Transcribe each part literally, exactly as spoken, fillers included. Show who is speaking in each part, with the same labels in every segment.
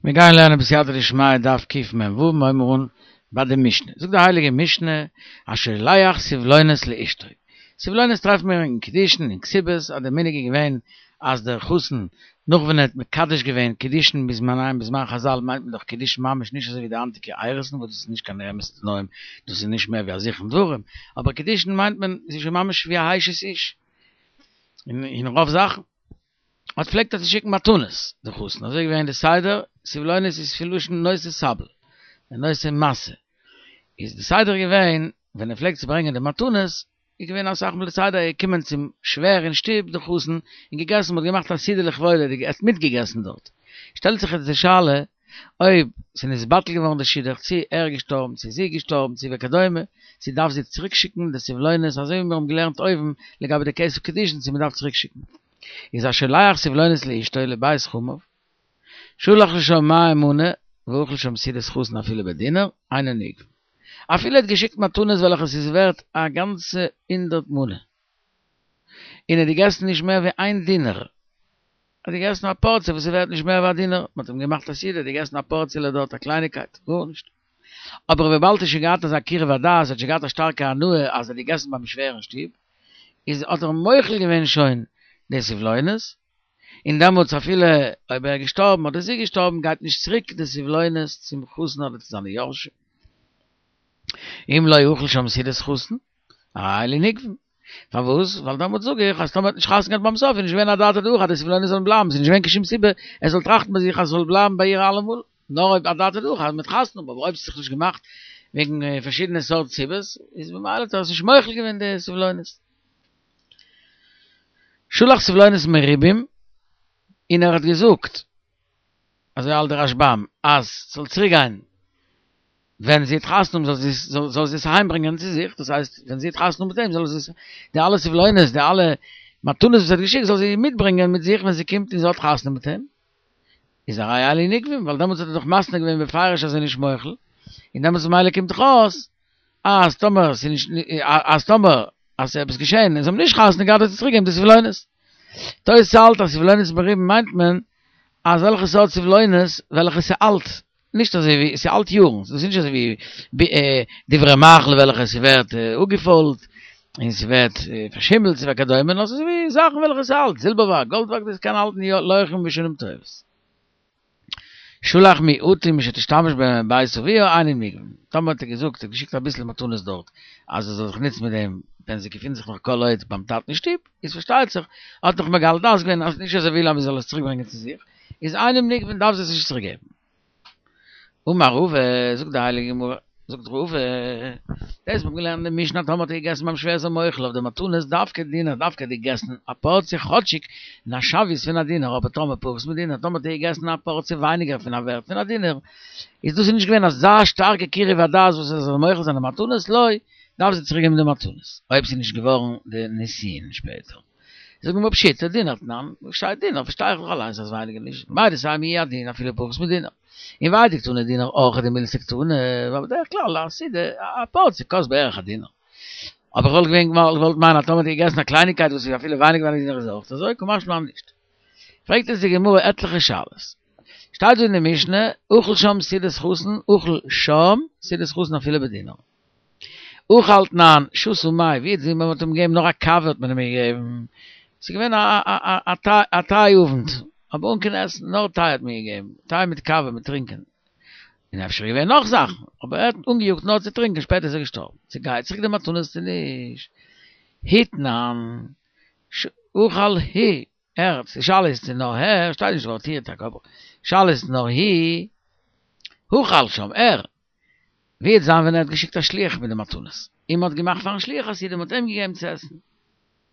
Speaker 1: מיר גייען לערנען בסייעתא דשמיא דף קמ"ו, מיר הייבן אן ביי די משנה. זאגט די הייליגע משנה, השולח סבלונות לאשתו. סבלונות טרעפן מיר אין קידושין און כתובות, אז די מנהג איז געווען אז דער חתן נאך ווען ער האט מקדש געווען קידושין בזמניהם בזמן חז"ל מיינט מען דאך קידושין ממש נישט אזוי ווי די היינטיגע אירוסין וואס דאס איז נישט קיין אמת'ע תנאים דאס איז נישט מער ווי א זיכרון דברים אבער קידושין מיינט מען עס איז שוין ממש ווי א אשת איש אין רוב זאכן. האט פלעגט ער צו שיקן מתנות די חתן, אזוי איז געווען די סדר, סבלונות איז פון לשון נושא סבל, נושא משא, איז די סדר געווען ווען ער פלעגט צו ברענגען די מתנות, איז געווען אסאך מאל די סדר ער איז געקומען צום שווער אין שטוב די חתן און געגעסן, מען האט געמאכט א סעודה לכבודו, ער האט מיטגעגעסן דארט, שטעלט זיך יעצט די שאלה אויב ס'איז נתבטל געווארן די שידוך, צו ער איז געשטארבן, צו זי איז געשטארבן, צו וכדומה, צו דארף זי צוריק שיקן די סבלונות אזוי ווי מיר האבן געלערנט אויבן לגבי די כסף קידושין צו מען דארף צוריק שיקן. איז השולח סבלונות לאשתו לבית חמיו, שלח לשם מאה מנה ואכל שם סעודת חתן אפילו בדינר, אינן נגבין. אפילו ער האט געשיקט מתנות וועלכע ס'איז ווערט א גאנצע הונדערט מנה, און ער האט געגעסן נישט מער ווי איין דינר, ער האט געגעסן א פארציע וואס איז ווערט נישט מער ווי א דינר, מ'האט אים געמאכט א סעודה, ער האט געגעסן א פארציעלע דארט, א קלייניקייט, גארנישט. אבער וויבאלד ער האט שוין געהאט אזא קירוב הדעת, ער האט שוין געהאט א שטארקע הנאה אז ער האט געגעסן ביים שווער אין שטוב, איז האט ער מוחל געווען שוין די סבלונות, און דעמאלטס אפילו אויב ער איז געשטארבן אדער זי איז געשטארבן גייט נישט צוריק די סבלונות צום חתן אדער צו זיינע יורשים. אם לא אכל שם סעודת חתן, הרי אלו נגבין. פארוואס? ווייל דעמאלטס זאג איך אז טאמער האט נישט חתונה געהאט ביים סוף איז נישט געווען אדעתא דהכי אז די סבלונות זאלן בלייבן, ס'איז נישט געווען קיין שום סיבה ער זאל טראכטן ביי זיך אז ס'זאל בלייבן ביי איר אלעמאל, נאר אויב אדעתא דהכי אז מ'וועט חתונה האבן, אבער אויב ס'האט זיך נישט געמאכט וועגן פארשידענע סארט סיבות, איז ממילא האט ער עס נישט מוחל געווען די סבלונות. שלח סבלונות מרובים, און ער האט געזאגט, אזוי האלט דער רשב"ם, אז ס'זאל צוריק גיין ווען זי וועט חתונה האבן זאל זי זאל זי עס אהיים ברענגען צו זיך, דאס הייסט ווען זי וועט חתונה האבן מיט אים זאל זי עס, די אלע סבלונות, די אלע מתנות וואס ער האט געשיקט זאל זי מיטברענגען מיט זיך ווען זי קומט און זי האט חתונה מיט אים, איז הרי אלו נגבין, ווייל דעמאלטס האט ער דאך מתנה געווען בפירוש אז ער איז נישט מוחל, און דעמאלטס ממילא קומט דאך אויס אז טאמער ס'איז נישט אז טאמער אז ס'איז עפעס געשען און זיי האבן נישט חתונה געהאט וועט זי צוריק געבן די סבלונות. תוס' האלט אז סבלונות מרובים מיינט מען אזעלכע סארט סבלונות וועלכע ס'אלט, נישט אזוי ווי ס'אלט יארן, דאס איז נישט אזוי ווי דברי מאכל וועלכע ס'ווערט אפגעפוילט און ס'ווערט פארשימלט וכדומה, נאר ס'איז ווי זאכן וועלכע ס'אלט, זילבערווארג, גאלדווארג, דאס קען האלטן לאורך שנים טובות. שלח מועטים שתשתמש בהם בבית אביה אינן נגבין, טאמער האט ער געזאגט, ער האט געשיקט אביסל מתנות דארט, אז זי זאל זיך נוצן מיט דעם ווען זי געפינט זיך נאך כל עוד ביים טאטן אין שטוב, איז פארשטייט זיך, האט נאך מגלה דעת געווען אז נישט אז ער וויל אז מען זאל עס צוריק ברענגען צו זיך, איז אינן נגבין דארף זי עס נישט צוריק געבן. אמר רבא, זאגט די הייליגע גמרא, זאגט רבא, דאס מ'האט געלערנט אין די משנה טאמער האט ער געגעסן ביים שווער איז ער מוחל אויף די מתנות דווקא דינר דווקא האט ער געגעסן א פארציע כאטשיג אין א שוויות פון א דינר אבער טאמער פחות מדינר טאמער האט ער געגעסן א פארציע ווייניגער פון א ווערט פון א דינר איז דאס נישט געווען אזא שטארקע קירוב הדעת וואס ער זאל מוחל זיין די מתנות לא דארף זי צוריק געבן די מתנות אויב ס'איז נישט געווארן די נישואין שפעטער. זאגט די גמרא פשיטא דינר תנן, וואס שטייט דינר פארשטיי איך דאך אליינס אז ווייניגער נישט, מהו דתימא הוא הדין אפילו פחות מדינר, און והאי דקתני דינר אורחא דמילתא קתני, ווייל בדרך כלל א סעודה א פארציע קאסט בערך א דינר. אבער איך וואלט געווען געוואלט מיינען אז טאמער האט ער געגעסן א קלייניקייט וואס איז אפילו ווייניגער ווי א דינר איז אויך אזוי, קא משמע לן נישט. פרעגט אונז די גמרא עטליכע שאלות. שטייט דא אין די משנה, אכל שם סעודת חתן, אכל שם סעודת חתן אפילו בדינר. אכל תנן, שתה מי, ווי איז מען האט אים געגעבן נאר א קאווע האט מען אים געגעבן, ס'איז געווען א טיי אוונט, אבער אן קיין עסן, נאר טיי האט מען געגעבן, טיי מיט קאווע מיט טרינקען, און אפשר איז געווען נאך זאכן, אבער ער האט אנגעיאגט נאר צו טרינקען, שפעטער איז ער געשטארבן, צו גייט צוריק די מתנות צו נישט, הוא תנן, אכל הוא, ער, די שאלה איז צו נאר ער, שטייט נישט ווארט הוא טאקע, אבער שאלה איז נאר הוא, אכל שם, ער, ווי וועט זיין ווען ער האט געשיקט א שליח מיט די מתנות, און מען האט געמאכט פארן שליח א סעודה, מען האט אים געגעבן צו עסן,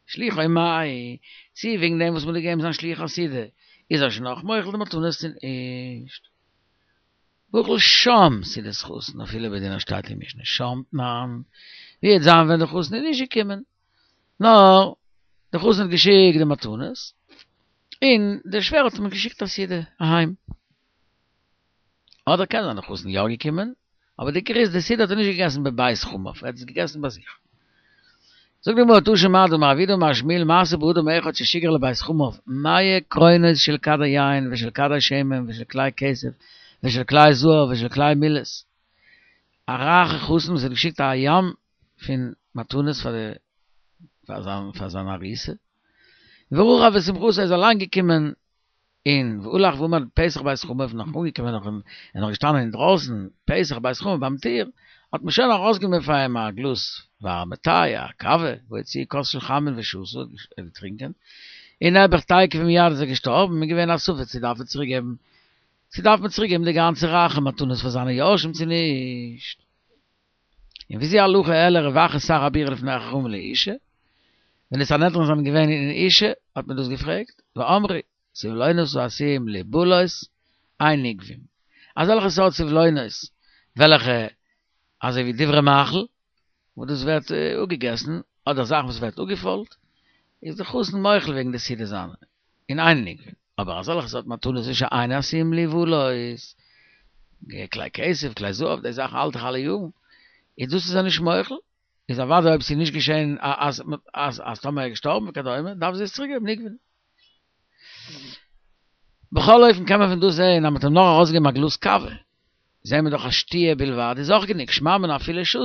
Speaker 1: שליחו מאי, צו וועגן דעם וואס מען האט געגעבן זיין שליח א סעודה, איז ער שוין אויך מוחל די מתנות צו נישט? אכל שם סעודת חתן אפילו בדינר שטייט אין משנה שם תנן, ווי וועט זיין ווען די חתן איז נישט געקומען, נאר די חתן האט געשיקט די מתנות, און דער שווער האט אים געשיקט א סעודה אהיים. אדער קען זיין די חתן יא געקומען, אבער די עיקר איז די סעודה האט ער נישט געגעסן בבית חמיו, ער האט עס געגעסן ביי זיך. זאגט די גמרא תא שמע דאמר רב יהודה אמר שמואל מעשה באדם אחד ששיגר לבית חמיו מאה קרונות של כדי יין ושל כדי שמן ושל כלי כסף ושל כלי זהב ושל כלי מילות. א רייכע חתן וואס האט געשיקט א ים פון מתנות פאר די פאר זיין פאר זיין ארוסה. ורכב בשמחתו איז אליין געקומען און והלך ועמד פתח בית חמיו נאך אנגעקומען נאך און נאך געשטאנען אינדרויסן פתח בית חמיו ביים טיר האט מען שוין ארויסגענומען פאר אים א גלאז ווארעמע טיי, א קאווע, והוציאו כוס של חמין ושתה, ער האט געטרינקען, און נעבעך תיכף ומיד איז ער געשטארבן, איז געווען א ספק צו דארף ער צוריק געבן, צו דארף מען צוריק געבן די גאנצע רייכע מתנות פאר זיינע יורשים צו נישט. און ווי אזוי הלכה העלה רב אחא שר הבירה לפני החכמים לאושא, ווען די סנהדרין זענען געווען אין אושא האט מען דאס געפרעגט, ואמרו, סבלונות העשויים ליבלות אין נגבין, אזעלכע סארט סבלונות וועלכע אזוי ווי דברי מאכל וואס דאס ווערט אפגעגעסן, אדער זאכן וואס ווערט אפגעפוילט, איז די חתן מוחל וועגן די סעודה זיינע, און אין נגבין, אבער אזעלכע סארט מתנות שאין עשויים ליבלות, כלי כסף, כלי זהב, די זאכן האלט דאך אלע יארן, איז דאס איז ער נישט מוחל, איז אוודאי אויב ס'איז נישט געשען אז אז אז טאמער ער איז געשטארבן וכדומה, דארף זי עס צוריקגעבן נגבין. בכל אופן קען מען פון דא זעהן אז מ'האט אים נאר ארויסגעגעבן א גלאז קאווע, זעהן מיר דאך אז שתיה בלבד איז אויך גענוג, שמע מינה אפילו שתה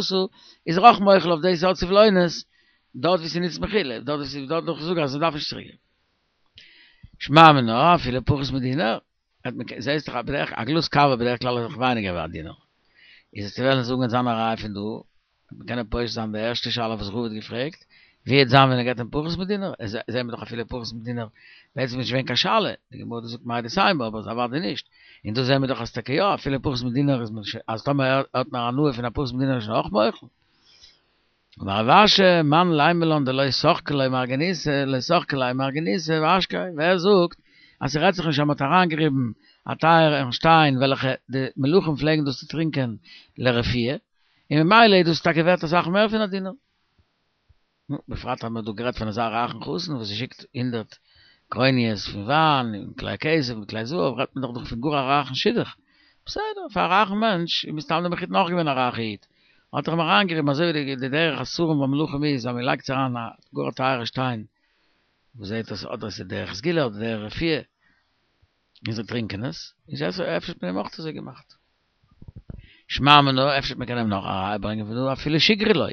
Speaker 1: איז ער אויך מוחל אויף די סארט סבלונות, דארט ווי ס'ניצט מחילה, דארט ווי ס'איז דארט דאך זאג אז מ'דארף נישט צוריקגעבן. שמע מינה אפילו פחות מדינר, האט מען זעהסט דאך בדרך א גלאז קאווע בדרך כלל איז דאך ווייניגער ווי א דינר, איז עס צו וועלן זאגן זיין א ראיה פון דא, מען קען פושט זיין די ערשטע שאלה וואס רבא האט געפרעגט, ווי וועט זיין ווען ער געבט אים פחות מדינר, עס זעהן מיר דאך אפילו פחות מדינר, בעצם איז נישט געווען קיין שאלה, די גמרא האט געזאגט מהו דתימא אבער אוודאי נישט, און דא זעהן מיר דאך אז טאקע יא אפילו פחות מדינר איז מען אז טאמער ער האט נאר הנאה פון א פחות מדינר איז שוין אויך מוחל. אמר רב אשי, מאן לימא לן דלא שחקו ליה מרגניתא, לא שחקו ליה מרגניתא ואשקיה, ווער זאגט אז ס'רעדט זיך נישט אז מ'האט אריינגעריבן א טייערן שטיין וועלכע די מלכים פלעגן דאס צו טרינקען לרפואה, און ממילא איז דאס טאקע ווערט אסאך מער פון א דינר. נו, בפרט אז מ'האט דא גערעדט פון אזא רייכן חתן וואס שיקט הונדערט קרוניות פון וויין און כלי כסף און כלי זהב, רעדט מען דאך דא פון גאר א רייכן שידוך. בסדר, פאר א רייכן מענטש איז מסתם דער מחותן אויך געווען א רייכע איד, האט ער אים אריינגעריבן אזוי ווי די דרך השרים והמלכים איז אז מ'לייגט אריין א גאר א טייערע שטיין וואס זעהט אויס אדער עס איז דרך סגולה אדער דרך רפואה, און זיי טרינקען עס, איז אפשר האט מען אים אויך אזוי געמאכט. שמע מינה, אפשר מען קען אים נאך א ראיה ברענגען פון דא, אפילו שיגריה לא.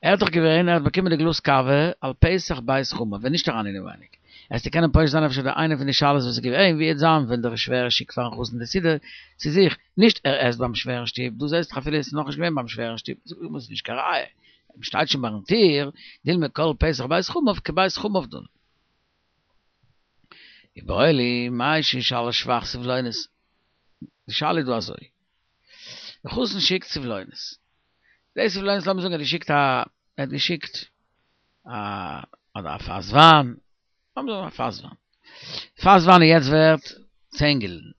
Speaker 1: ער האט דאך געווען, ער האט באקומען די גלאז קאווע על פתח בית חמיו, ווען נישט אריין אינעווייניג. וועסטו קענען פושט זיין אפשר די איינע פון די שאלות וואס איז געווען, ווי וועט זיין ווען דער שווער שיקט פארן חתן די סעודה צו זיך, נישט ער עסט ביים שווער אין שטוב, דא זעסט דאך אפילו עס איז נאכנישט געווען ביים שווער אין שטוב, זאגט די גמרא ס'איז נישט קיין ראיה, מען שטייט שוין ביים טיר, דילמא כל פתח בית חמיו כבית חמיו דמי. איבעיא להו, מהו שישאל שבח סבלונות? די שאלה איז דא אזוי, די חתן שיקט סבלונות, די סבלונות לאמיר זאגן ער האט געשיקט א, ער האט געשיקט א, אדער א פאס וויין, לאמיר זאגן א פאס וויין, פאס וויין איז יעצט ווערט צען גילדן,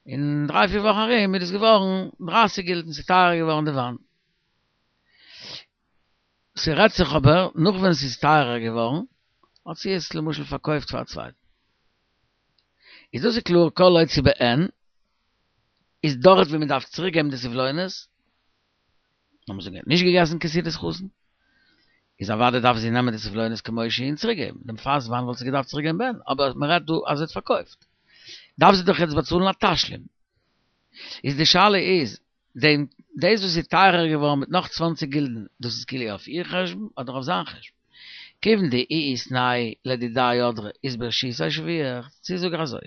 Speaker 1: אין דריי פיר וואכן ארום איז עס געווארן דרייסיג גילדן, ס'איז טייערער געווארן די וויין. ס'רעדט זיך אבער נאך ווען ס'איז טייערער געווארן, האט זי עס למשל פארקויפט פאר א צווייטן. איז דאס איז קלאר כל עוד ס'איז בעין, איז דארט ווי מ'דארף צוריק געבן די סבלונות, לאמיר זאגן ער האט נישט געגעסן קיין סעודת חתן, איז אוודאי דארף זי נעמען די סבלונות כמו שהיא און צוריק געבן, דעם פאס וויין וואלט זי געדארפט צוריק געבן בעין, אבער מ'רעדט דא אז זי האט פארקויפט, דארף זי דאך יעצט באצאלן א תשלום. איז די שאלה איז, דעם דאס וואס איז טייערער געווארן מיט נאך צוואנציג גילדן, דאס איז כאילו אויף איר חשבון אדער אויף זיין חשבון? כיוון דאיהי איתנהו לדידיה הדרא איז ברשותה שביח, צו זאג איך אזוי,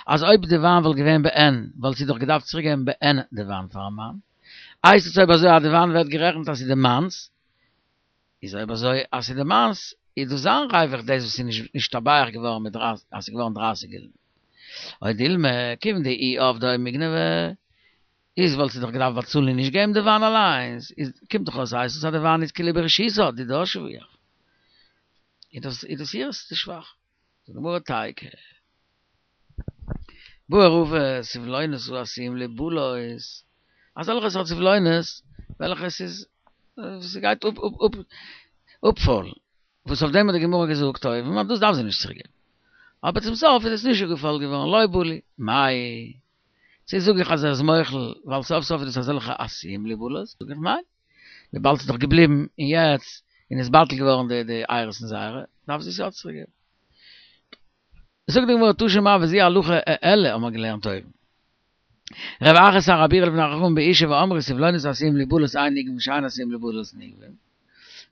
Speaker 1: אז אויב די וויין וואלט געווען בעין, וואלט זי דאך געדארפט צוריק געבן בעין די וויין פארן מאן, הייסט עס אויב אזוי אז די וויין ווערט גערעכנט אז ס'איז די מאנ'ס, איז אויב אזוי אז ס'איז די מאנ'ס, איז דאס זיין ריווח דאס וואס איז נישט נשתבח געווארן מיט דרייסיג, אז ס'איז געווארן דרייסיג גילדן. או דילמא, כיוון דאיהי עבדה או מיגנבה, איז וואלט זי דאך געדארפט באצאלן און נישט געבן די וויין אליינס, איז קומט דאך אויס הייסט עס אז די וויין איז כאילו ברשותה, דידה שביח. איז דאס איז דאס אירס די שבח. זאגט די גמרא תיקו. בעי רבא סבלונות העשויים ליבלות, אזעלכע סארט סבלונות וועלכע עס איז ס'גייט אפ אפ אפפוילן, וואס אויף דעם האט די גמרא געזאגט אויבן אז דאס דארף זי נישט צוריק געבן, אבער צום סוף איז עס נישט אפגעפוילט געווארן, לא בלו, מאי, צו זאג איך אז ער איז מוחל ווייל סוף סוף איז דאס אזעלכע עשויים ליבלות, זאג איך ניין, וויבאלד ס'איז דאך געבליבן און יעצט און איז בטל געווארן די די אירוסין זייערע, דארף זי עס יא צוריק געבן. זאגט די גמרא תא שמע וזו הלכה אלו האבן מיר געלערנט אויבן. רב אחא שר הבירה לפני חכמים באשה ואמרו סבלונות עשויים להיבלעות אין נגבין ושאין עשויים להיבלעות נגבין.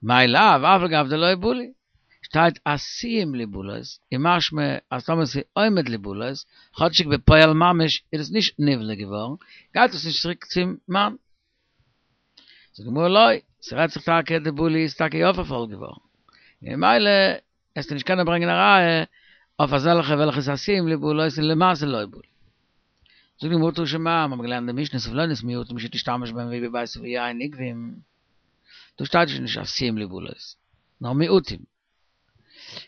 Speaker 1: מאי לאו אף על גב דלא בלעו. שטייט עשויים להיבלעות איז משמע אז טאמער ס'איז עומד להיבלעות, כאטשיג בפועל ממש איז עס נישט נבלע געווארן, גייט עס נישט צוריק צום מאן. זאגט די גמרא לא, ס'רעדט זיך טאקע דבלעו איז טאקע יא פארפוילט געווארן, ממילא עסטו נישט קענען ברענגען א ראיה אויף אזעלכע וועלכע איז עשויים להיבלעות און למעשה לא בלעו. זאגט די גמרא תא שמע, מ'האט געלערנט די משנה סבלונות מועטים שתשתמש בהם והיא בבית אביה אין נגבים, דא שטייט שוין נישט עשויים להיבלעות, נאר מועטים.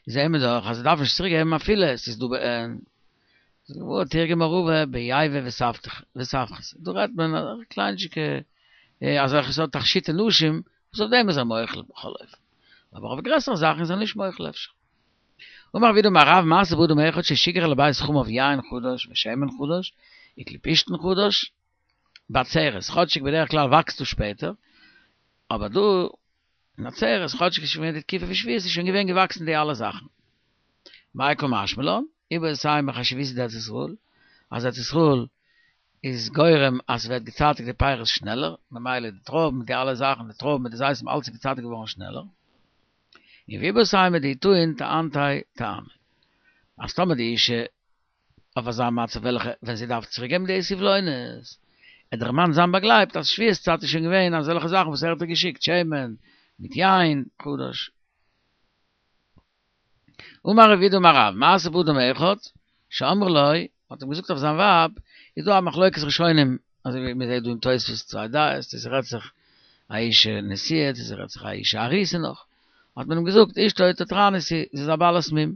Speaker 1: זעהן מיר דאך אז מ'דארף נישט צוריק געבן אפילו עס איז דא בעין. זאגט די גמרא תרגמה רבא ביבא וסבחתא, דא רעדט מען אזעלכע קליינטשיקע אזעלכע סארט תכשיטי נשים וואס אויף דעם איז ער מוחל בכל אופן, אבער אויף גרעסערע זאכן איז ער נישט מוחל אפשר. אמר רב יהודה אמר רב מעשה באדם אחד ששיגר לבית חמיו יין חדש ושמן חדש וכלי פשתן חדש בעצרת, כאטשיג בדרך כלל וואקסט דאס שפעטער, אבער דא אין עצרת, כאטשיג איז שוין געווען די תקופה פון שביעית איז שוין געווען געוואקסן די אלע זאכן. מאי קא משמע לן? איבעית אימא חשיבותא דארץ ישראל, אז ארץ ישראל איז גורם אז ס'ווערט געצייטיגט די פירות שנעלער, ממילא די טרויבן מיט די אלע זאכן, די טרויבן מיט די זיתים אלץ איז געצייטיגט געווארן שנעלער. און ואיבעית אימא דאי טעין טענתיה טעמא. אז טאמער די אישה אויף אזא מצב וועלכע ווען זי דארף צוריק געבן די סבלונות, עט דער מאן זיין באגלייבט אז שביעית צייט איז שוין געווען אזעלכע זאכן וואס ער האט איר געשיקט שמן מיט יין חדש. אמר רב יהודה אמר רב, מעשה באדם אחד, שאמרו לו, מ'האט אים געזאגט אויף זיין ווייב, איז דא א מחלוקת ראשונים, אזוי ווי מ'זעט דא אין תוספות צוויי דעות, צו ס'רעדט זיך א אישה נשואה, צו ס'רעדט זיך א אישה ארוסה נאך, האט מען אים געזאגט, אשתו תתרנית היא, זי איז א בעלת מום.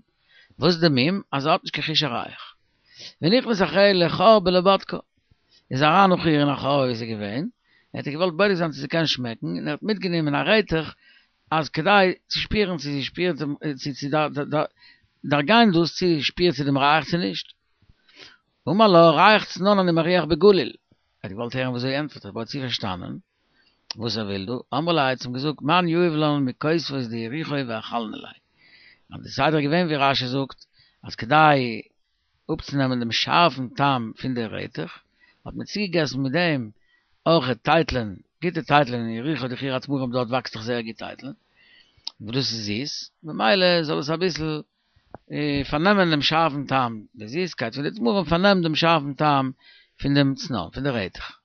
Speaker 1: וואס איז די מום? אז זי האט נישט קיין חוש הריח. ונכנס אחריה לחור לבודקה, איז אריין נאך איר אין א חור ווי זי איז געווען, ער האט איר געוואלט בודק זיין צו זי קען שמעקן, און ער האט מיטגענומען א רעטעך אז כדי צו שפירן צו זי שפירט צו צו דערגיין דאס צו שפירט זי דעם ריח צו נישט. אמר לה, ריח צנון אני מריח בגליל. ער האט געוואלט הערן וואס זי ענטפערט, אבער האט זי פארשטאנען וואס ער וויל דא, אמרה ליה האט זי אים געזאגט, מאן יהיב לן מכותבות דיריחו ואכלנא ליה. אז די סדר איז געווען ווי רש"י זאגט, אז כדי אפצונעמען דעם שארפן טעם פון די רעטעך, האט מען צוגעגעסן מיט דעם אויך טייטלען, גוטע טייטלען אין יריחו די עיר התמרים דארט וואקסט דאך זייער גוט טייטלען, וואס דאס איז זיס, ממילא זאל עס אביסל פארנעמען דעם שארפן טעם, די זיסקייט פון די תמרים פארנעמט דעם שארפן טעם פון דעם צנון, פון די רעטעך.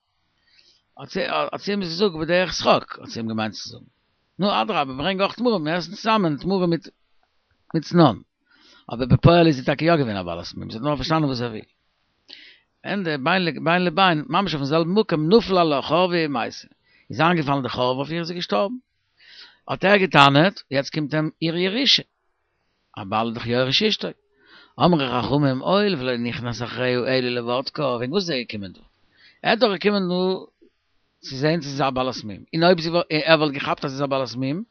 Speaker 1: האט זי אים עס געזאגט בדרך שחוק, האט זי אים געמיינט צו זאגן. נו אדרבה ברענג אויך תמרים, מיר עסן צוזאמען תמרים מיט מיט צנון. אבער בפועל איז זי טאקע יא געווען א בעלת מום, זי האט נאר פארשטאנען וואס ער וויל. ענדע, בין לבין, ממש אויפן זעלבן מקום, נפל עלה חורבה ומתה. איז איינגעפאלן די חורבה אויף איר איז זי געשטארבן. האט ער געטענה'ט, יעצט קומט אים איר ירושה. א בעל איז דאך יורש אשתו. אמרו חכמים הואיל ולא נכנס אחריה אלא לבודקה, וועגן וואס איז ער געקומען דא? ער איז דאך געקומען דא צו זען צו זי איז א בעלת מום, און אויב זי ער וואלט געכאפט אז זי איז א בעלת מום,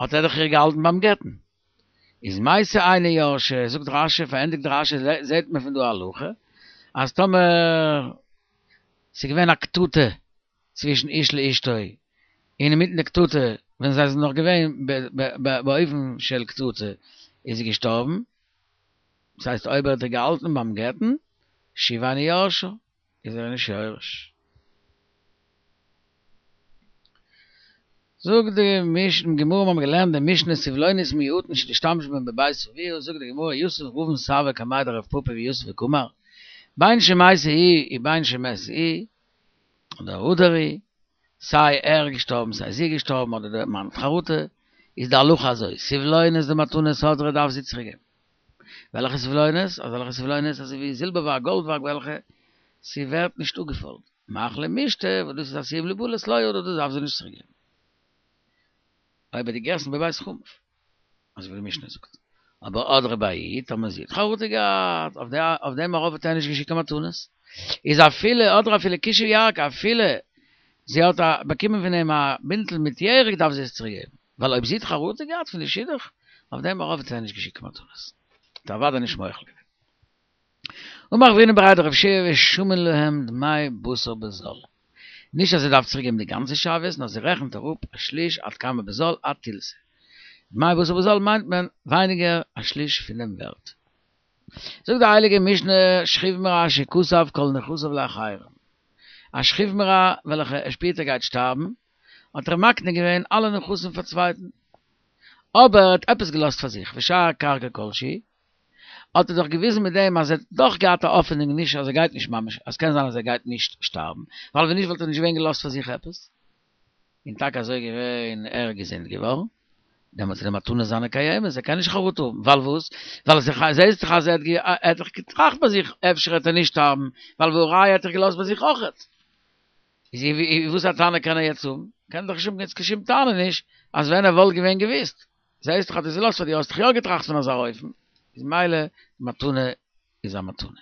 Speaker 1: האט ער דאך איר געהאלטן ביים גט'ן. איז מתה אינו יורשה, זאגט רש"י, פארענדיגט רש"י, זעט מען פון דא א הלכה, אז טאמער ס'איז געווען א קטטה צווישן איש לאשתו, און אינמיטן די קטטה, ווען זיי זענען נאך געווען באופן של קטטה, איז זי געשטארבן, דאס הייסט אויב ער האט איר געהאלטן ביים גט'ן, שוב אינו יורשה, איז ער נישט יורש. זאגט די משנה, גמרא מיר האבן געלערנט די משנה סבלונות מועטין שנשתמש בהן בבית אביה, זאגט די גמרא יתיב רבין סבא קמיה דרב פפא ויתיב וקאמר, בין שמתה היא ובין שמת הוא, אדער הדר הוא, סיי ער איז געשטארבן סיי זי איז געשטארבן אדער דער מאן האט חרטה, איז די הלכה אזוי, סבלונות דמתנות הדרה דארף זי צוריק געבן. וועלכע סבלונות? אזעלכע סבלונות אזוי ווי זילבערווארג גאלדווארג וועלכע ס'ווערט נישט אפגעפוילט. מאכלי משתה וואס דאס איז עשויים ליבלע לא הדרה דאס דארף זי נישט צוריק געבן. אויב ער האט געגעסן בבית חמיו. אזוי ווי די משנה זאגט. אבער הדרה ביה היא, טאמער זי האט חרטה געהאט, אויף אויף דעם ארויף האט ער נישט געשיקט קיין מתנות. איז אפילו הדרה אפילו כישי ירקא, אפילו זי האט באקומען פון אים א בינטל מיט ירק דארף זי עס צוריק געבן. ווייל אויב זי האט חרטה געהאט פון די שידוך, אויף דעם ארויף האט ער נישט געשיקט קיין מתנות. האט ער אוודאי נישט מוחל געווען. אמר רב הונא בריה דרב יהושע ושמין להם דמי בשר בזול. נישט אז זי דארף צוריק געבן די גאנצע שוויות, נאר זי רעכנט אראפ א שליש עד כמה בזול עד תילתא. דמי בשר בזול מיינט מען ווייניגער א שליש פון דעם ווערט. זאגט די הייליגע משנה שכיב מרע שכתב כל נכסיו לאחרים. א שכיב מרע וועלכע ער שפירט ער גייט שטארבן, האט ער מקנה געווען אלע נכסים פאר צווייטן. אבער ער האט עפעס געלאזט פאר זיך, ושאר קרקע כלשהי, האט ער דאך געוויזן מיט דעם אז ער האט דאך געהאט א האפענונג נישט אז ער גייט נישט ממש, אז קען זיין אז ער גייט נישט שטארבן, ווייל ווען נישט וואלט ער נישט געווען געלאזט פאר זיך עפעס. און טאקע אזוי געווען, ער איז געזונט געווארן, דעמאלטס איז די מתנה זיינע קיימת, ער קען נישט חרטה האבן, ווייל וואס? ווייל זעהסט דאך אז ער האט דאך געטראכט ביי זיך אפשר וועט ער נישט שטארבן, ווייל והא ראיה האט ער געלאזט ביי זיך אויכעט. איז וואס א טענה קען ער יעצט האבן? קען דאך נישט האבן יעצט קיין שום טענה נישט, אז ווען ער וואלט געווען געוויסט, זעהסט דאך אז דו האסט געלאזט פאר דיר, האסט דאך יא געטראכט פון אזא אופן, איז מילא מתנה איז א מתנה.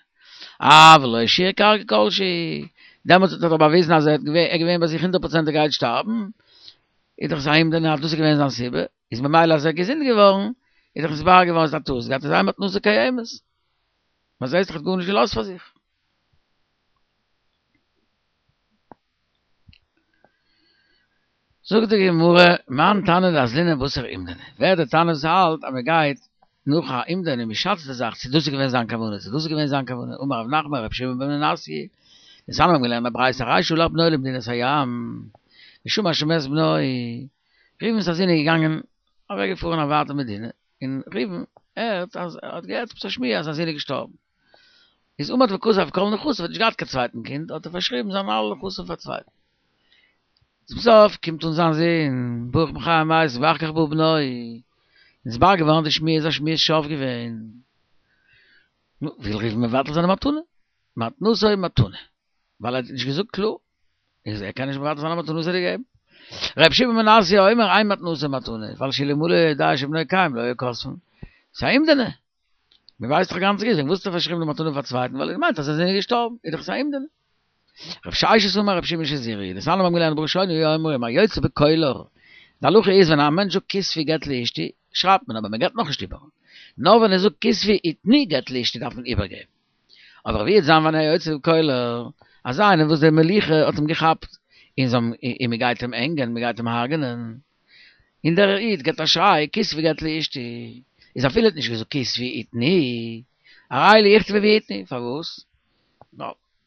Speaker 1: אבל לא השאיר קרקע כלשהי, דעמאלטס האט ער דאך באוויזן אז ער האט געווען ביי זיך הונדערט פראצענט ער גייט שטארבן, איז דאך זיין אומדנא אז דאס איז געווען זיין סיבה, איז ממילא אז ער איז געזונט געווארן, איז דאך נתברר געווארן אז ער האט א טעות געהאט, איז אין מתנתו קיימת. מען זעהט דאך ער האט גארנישט געלאזט פאר זיך. זאגט די גמרא, מאן תנא דאזלינן בתר אומדנא, ווער איז די תנא וואס האלט אז מען גייט נאך א אומדנא און מען שאצט די זאך צו דאס איז געווען זיין כוונה צו דאס איז געווען זיין כוונה, אמר רב נחמן רבי שמעון בן מנסיא, דתניא מיר האבן געלערנט א ברייתא הרי שלח בנו למדינת הים, ושמע שמת בנו, ראובן'ס א זון איז געגאנגען אוועק געפארן א ווייטע מדינה, און ראובן הערט אז ער האט געהערט עפעס א שמועה אז זיין זון איז געשטארבן, איז עמד וכתב כל נכסיו, האט נישט געהאט קיין צווייטן קינד, האט ער פארשריבן זיינע אלע נכסים פאר א צווייטן. צום סוף קומט אן זיין זון, ברוך מחיה המתים, ואחר כך בא בנו, נתברר געווארן די שמועה איז א שמועת שווא געווען. נו, וויל ראובן מבטל זיין די מתנה? מתנתו מתנה. ווייל ער האט נישט געזאגט קלאר. איז ער קען נישט מבטל זיין א מתנה וואס ער האט געגעבן. ר' שמעון בן מנסיא אומר אין מתנתו מתנה, ווייל שאלמלא יודע שבנו קיים לא היו כותבין. ס'איז א אומדנא. מען ווייסט דאך גאנץ גוט וועגן וואס האט ער פארשריבן די מתנה פאר צווייטן ווייל ער מיינט אז זיין זון איז געשטארבן, איז דאך עס א אומדנא. רב ששת אמר רב שמעון שזורי, דתניא מיר האבן געלערנט בראשונה היו אומרים היוצא בקולר, די הלכה איז ווען א מענטש זאגט כתבו גט לאשתי, שרייבט מען אבער מען געבט נאכנישט איבער, נאר ווען ער זאגט כתבו ותנו גט לאשתי דארף מען איבערגעבן. אבער ווי וועט זיין ווען היוצא בקולר, אזא איינער וואס די מלוכה האט אים געכאפט, און זיי האבן און מען גייט אים הענגען, מען גייט אים הרג'נען, און דער איד געבט א שריי כתבו גט לאשתי, איז אפילו ער האט נישט געזאגט כתבו ותנו, הרי אלו יכתבו ויתנו, פארוואס?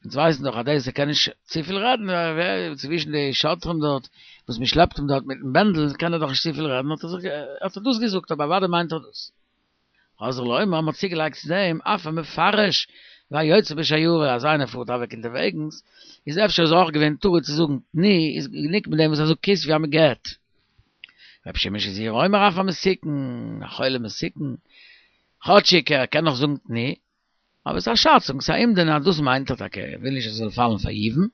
Speaker 1: אונז ווייסן דאך אז דאס ער קען נישט צופיל רעדן, צווישן די שוטרים דארט וואס מען שלעפט אים דארט מיטן בענדל קען ער דאך נישט צופיל רעדן, האט ער זיך האט ער דאס געזאגט, אבער אוודאי מיינט ער דאס. חזרו לומר, מען האט צוגעלייגט צו דעם אף המפרש והיוצא בשיירה אז איינער פארט אוועק אונטערוועגנס, איז אפשר איז אויך געווען טרוד צו זאגן תנו, איז גענוג מיט דעם וואס ער זאגט כתבו אז מען געט. רבי שמעון שזורי אומר אף המסוכן, א חולה מסוכן, כאטשיג ער קען נאך זאגן תנו, אבער ס'איז א שאצונג, ס'איז א אומדנא אז דאס מיינט ער טאקע, ער וויל נישט אז עס זאל פאלן פאר יבום,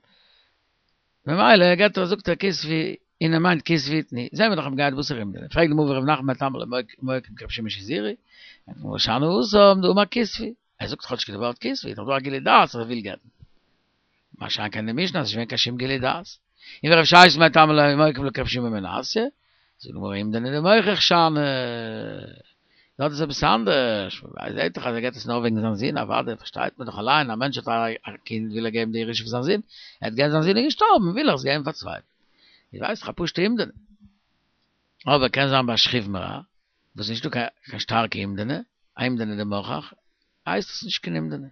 Speaker 1: ממילא געט ער זאגט ער כתבו און ער מיינט כתבו ותנו, זעהן מיר דאך אז מ'גייט בתר אומדנא, פרעגט די גמרא ורב נחמן מאי טעמא לא מוקים כרבי שמעון שזורי, ענטפערט די גמרא שאני התם דאמר כתבו, ער זאגט כאטשיג די ווארט כתבו, איז דאך דא א גילוי דעת אז ער וויל גט'ן. מה שאין כן די משנה אז עס איז נישט געווען קיין שום גילוי דעת. און ורב ששת מאי טעמא לא מוקים כרבי שמעון בן מנסיא, זאגט די גמרא אומדנא דמוכח שאני. דארט איז עפעס אנדערש, מען זעט דאך אז ער געבט עס נאר וועגן זיין זון, אוודאי פארשטייט מען דאך אליין, א מענטש האט א קינד וויל ער געבן די ירושה פאר זיין זון, ער האט געהערט זיין זון איז געשטארבן וויל ער עס געבן פאר צווייטן, איך ווייס דאך א פשוטע אומדנא. אבער קען זיין ביי שכיב מרע, וואס איז נישטא קיין שטארקע אומדנא, א אומדנא דמוכח, הייסט עס נישט קיין אומדנא.